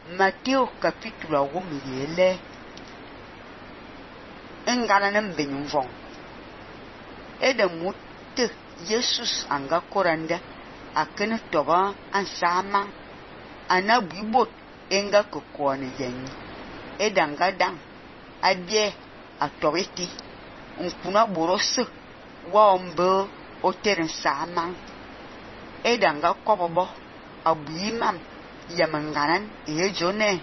Matteo capítulo 1 engana nembenye mvong ede mutte Jesus anga koranda akene toba ansama anabibot enga kokone yenyi edanga dang abie atobeti nkuna borose wa ombe oteren sama edanga kobobo abuimam yamanganan ejone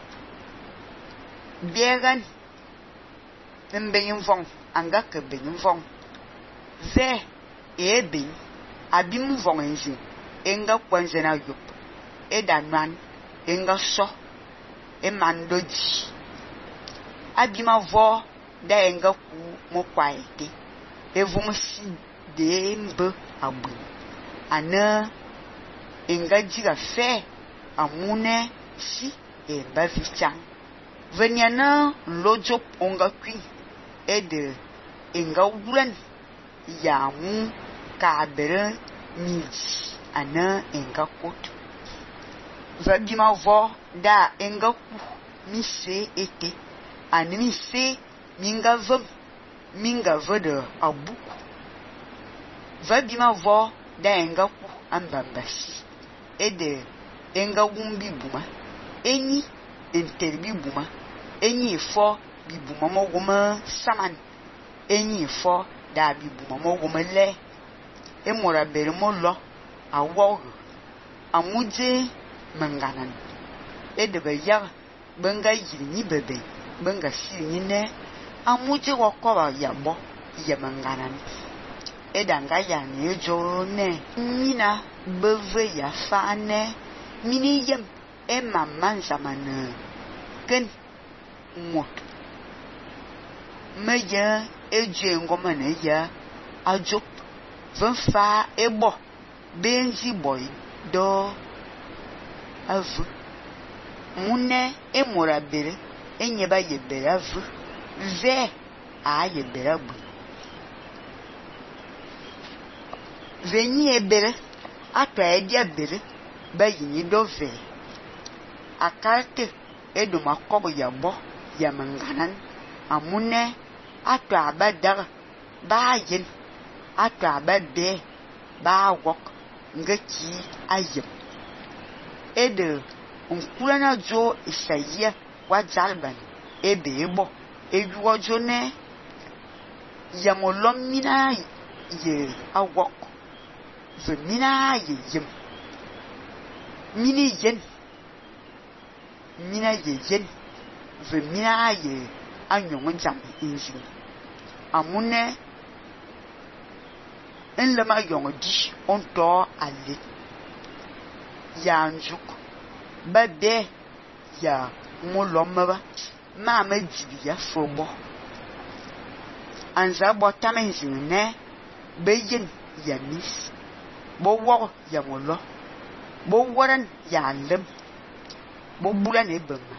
biegan mbenye mvong anga ke benye mvong ve ebin abim mvong enzi enga kwanzena yup edanwan enga so emandoji abima vo da enga ku mokwaete evumsi de mbe abu ana enga jiga fe amune si e bavichang venyana lojo onga kwin ede enga wulan yamu kabere niji ana enga kot vabima vo da enga ku mise ete ani mise minga vede abuku vabima vo da enga ku ambambasi ede enga wumbi buma enyi enterbi buma enyi fo bibuma moguma saman enyi fo da bibuma moguma le emora beremo lo awo amuje manganan ede be ya benga yiri ni bebe benga si ni ne amuje wokoba yabo yamanganan edanga ya ne jone mina beve ya fane mini yem emman zamana ken mot meya eje ngoma ne ya ajop venfa ebo benzi boy do avu mune emora bere enyeba yebere avu ve a yebere abu venyi ebere atwa edia bere bayini dove akarte eduma kobo yabo yamanganan amune atwa abadar bayin atwa abade ba wok ngeki ayem ede unkulana jo isaiya wazalban ebo ejuo jone yamolomina ye awok zemina ye yem mini yen mina ye yen ve mina ye anyong jam inzi amune enlema yong di onto ale ya njuk bade ya molomba mama jibi ya fobo anza botamenzi ne beyin ya mis bo wo ya molo bo waran ya lem bo bulan ebema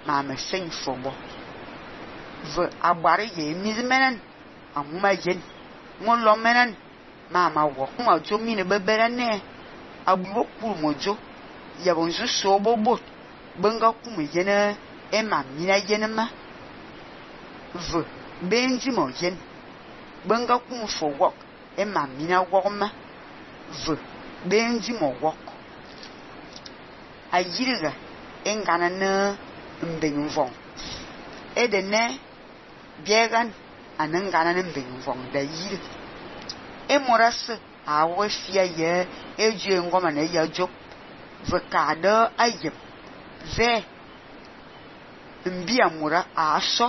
mama sen fobo ve abare ye mizmenen amuma yen molo menen mama wo ma jo mi ne bebere ne abuwo kuru mojo ya bonzu so bobo benga kuma yena ema mina yenema ve benji mo yen benga kuma for work ema mina wogma ve benji mo work ayiriga engana na mbenyumvong edene biegan anengana na mbenyumvong da yiri emoras awo fia ye eju ngoma na ya job ve kada ayem ve mbia mura aso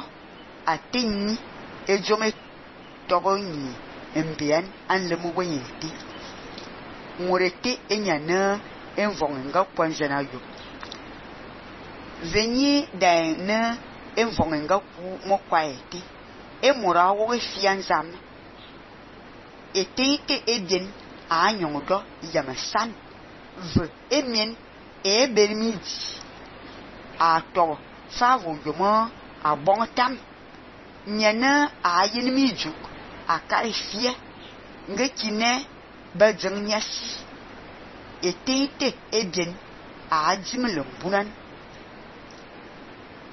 atinni ejome togoni mbian anlemu bonyeti murete enyana envonga kwanzana yo venyi da na envonga ku mokwaeti emura wo fianzam etete eden anyongo yamasan ve emien ebermiji ato savo yomo abontam nyana ayinmiju akaifie ngekine bajanyasi etete eden ajimlumbunan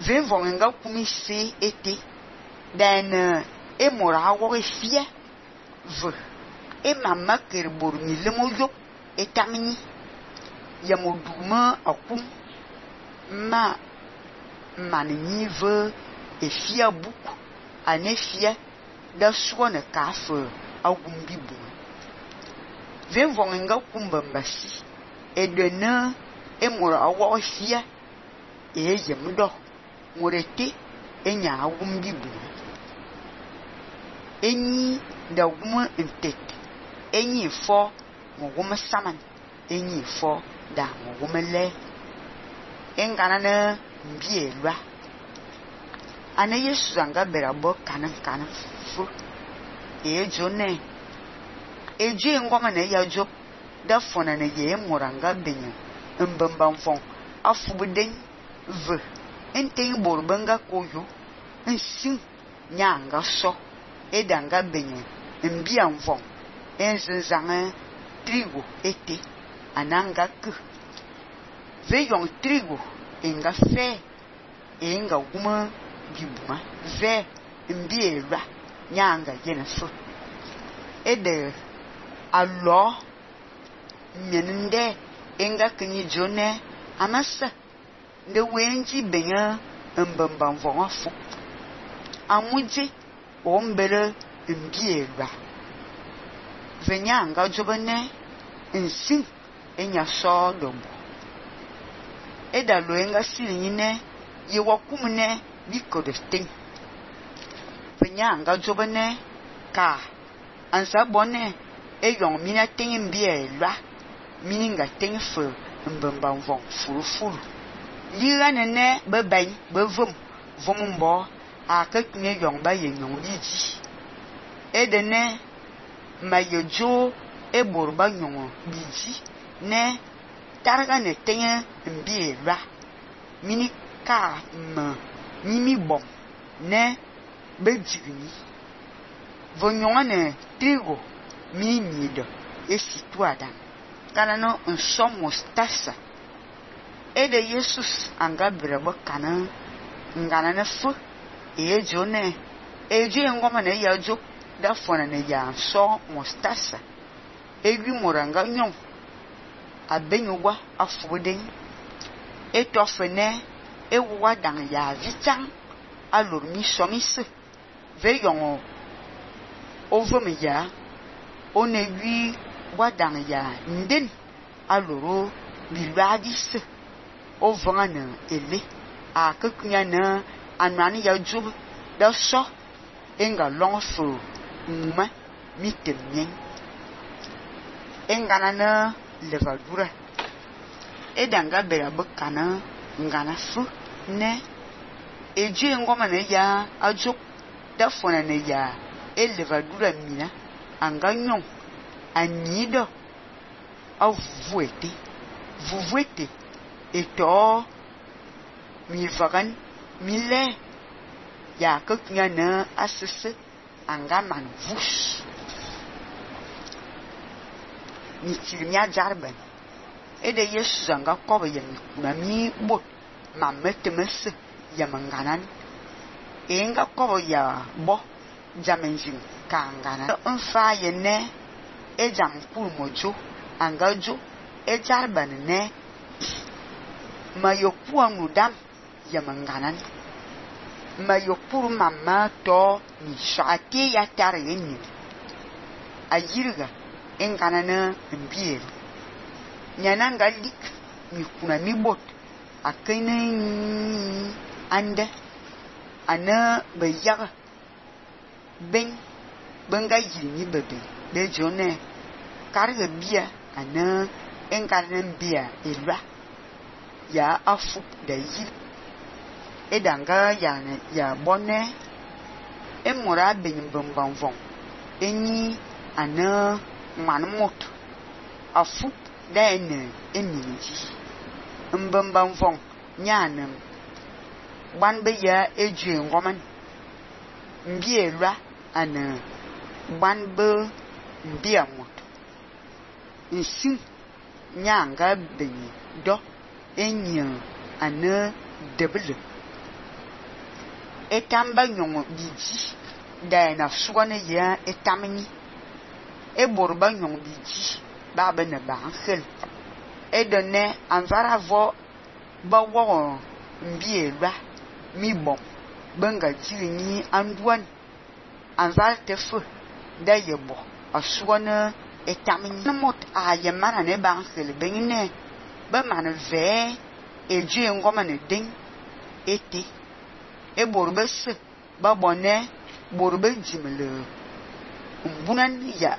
Vem vong nga kumisi ete dan e mora wo fie v e mama ker bor ni le mo yo etamini ya mo duma akum ma manini v e fia buku ane fia da suone kafe agum bibu. Vem vong nga kumbambasi e de na e mora wo fie e yem do morete enya agum bibu. Enyi da guma intet enyi fo mo guma saman enyi fo da mo guma le engana na mbielwa ana Yesu anga berabo kanan fu e jone e je ngoma na ya jo da fona na ye moranga benya mbambam fon afubuden v enten borbanga koyo nsin nyanga so edanga benye mbia mfon enzanzanga trigo ete ananga ku veyon trigo enga fe enga guma bibuma ve mbielwa nyanga yenefu ede allo menende enga kinyi jone amasa de wenji benya mbambam fon afu amuje ombere mbielwa venyanga jobane nsin enya so dobo eda loenga sinyine ye wakumne bikodestin venyanga jobane ka ansa bone eyon mina tin mbielwa mininga tin fu mbambam von furu yira nene bebai bevum vumbo akekne yong ba ye nyong biji edene mayojo eborba nyong biji ne targa ne tenye mbielwa mini ka mimi bom ne bejigni vonyonga ne trigo mini do esituada kana no nsomos tasa ede Jesus anga brebo kana ngana ne fu e jone e je ngoma ne ya jo da fona ne ya so mostasa e gwi moranga nyon abenyugwa afuden e tofene e wa dan ya vitan alor mi somise ve yon over me ya one gwi wa dan ya nden aloro bilwadis ovana ele akakunya na anani ya jub da so enga longfo uma mitemyen engana na levadura edanga bera bukana ngana fu ne eje ngoma ne ya ajuk da fona ne ya levadura mina anganyon anido vuvuete eto mi vagan mille ya kunya na asese angaman vus ni tirmia jarben ede Yesu zanga koba yemi mami bot mametemes yamanganan enga koba ya bo jamenjin kangana unfa yene ejam kulmojo angajo ejarban ne mayokuwa mudam yamanganan mayokuru mama to ni shati ya tarini ajirga enganana mbiel nyananga lik mi kuna mi bot akene ande ana bayaga ben benga yini bebe de jone karga bia ana enganan bia elwa ya afu da yi edanga ya bonne emora benyambam von enyi ana manmot afu da ene eminji mbambam von nyanam ban be ya eje ngoman mbielwa ana ban be mbiamot nsin nyanga benyi do enya ana debele etamba nyong biji da na suwane ya etamni eborba nyong biji ba bene ba khel edone anvara vo ba wo mbielwa mi bom benga jini anduan anval tefu da yebo asuwane etamni mot a yemara ne ba khel benine ba man ve eje ngoma ne ding eti eborba se ba bonne borba jimle mbunan ya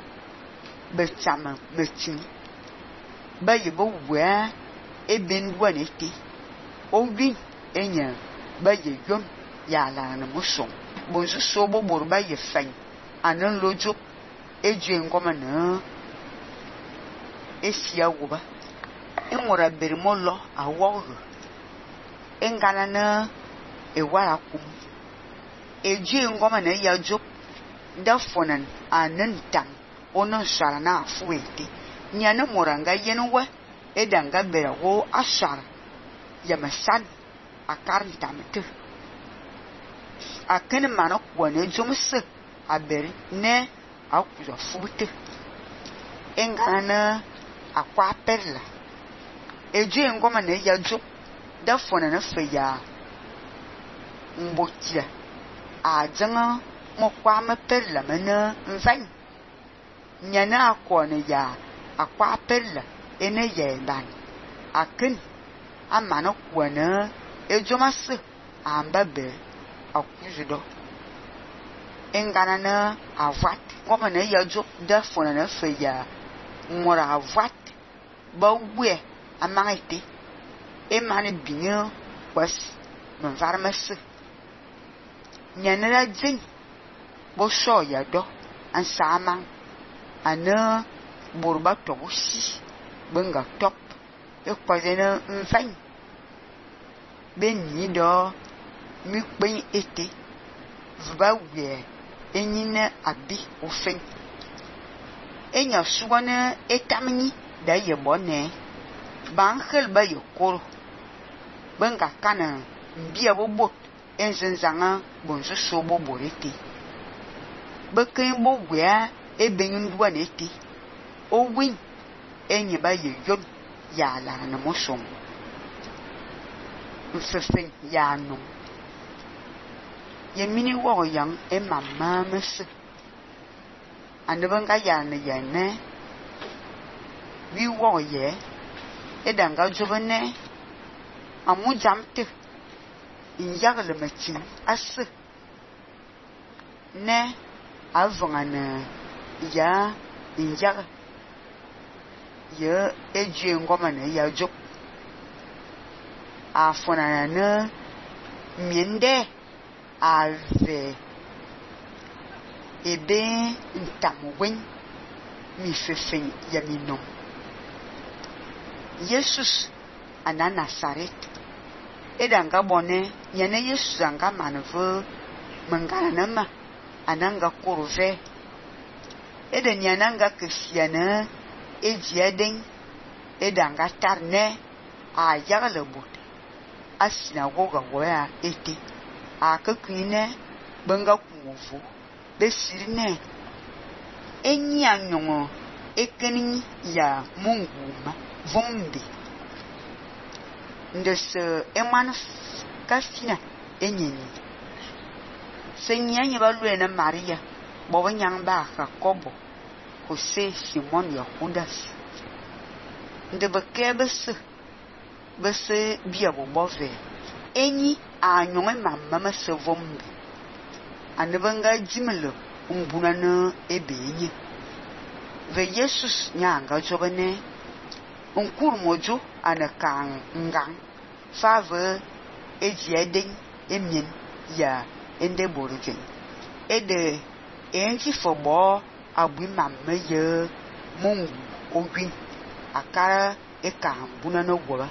betama metin ba yebo wa eben wan eti owi enya ba ye yom ya la na muso bonzu so bo borba ye fan anan lojo eje ngoma na esia woba enwora bermolo awo engana na ewara kum eje ngoma na ya jo da fonan anan tam onon sara na afuete nyana moranga yenwe edanga berawo ashar yamasan akarita mete akan mana kwane jomse abere ne akuza fubute engana akwa perla eje ngoma na ya jo da fona na feya mbotia ajanga mo kwa me perla mena mvan nyana akone ya akwa perla ene ye ban akin amana kwana ejomase ambabe akuzido engana na avat ngoma na ya jo da fona na feya mora avat ba we amangite emane binyo was manvarmase nyanera jin bo so ya do ansama ana borba tobusi benga top ekwazena mfan beni do mi pen ete va we enyina abi ofen enya suwana etamni da ye bonne ban khel ba yokoro benga kana mbia bobo enzenzanga bonzo sobo borete bekin bo gwa ebenyun duanete o win enye ba ye yon ya la na mosom mfefen ya no ye mini wo yang e mama mese anebanga ya ne ye ne wi wo ye edanga jobene amu jamte inyagle machin as ne avangana ya injag ye eje ngoma ne ya jok afona na miende ave ebe ntamwen mi fefen ya minom Jesus ana Nazaret edanga bone yene Jesus anga manvo mangana nama ananga kurve eden yananga kristiana ejiaden edanga tarne a yagalebut asina goga goya eti akakwine banga kuvu besirine enyanyongo ekeni ya munguma vombi ndese eman kasina enyenyi senyanyi balwena Maria bobanyamba Jacobo Jose Simon ya Judas ndebekebese bese biabo bove enyi anyonge mamma masevombi anebanga jimelo umbunana ebenyi ve Jesus nyanga jobane unkurmojo anakang ngang fave ejieden emien ya ende borgen ede enji fobo abui mamme ye mungu ogwin akara ekambuna no gwoba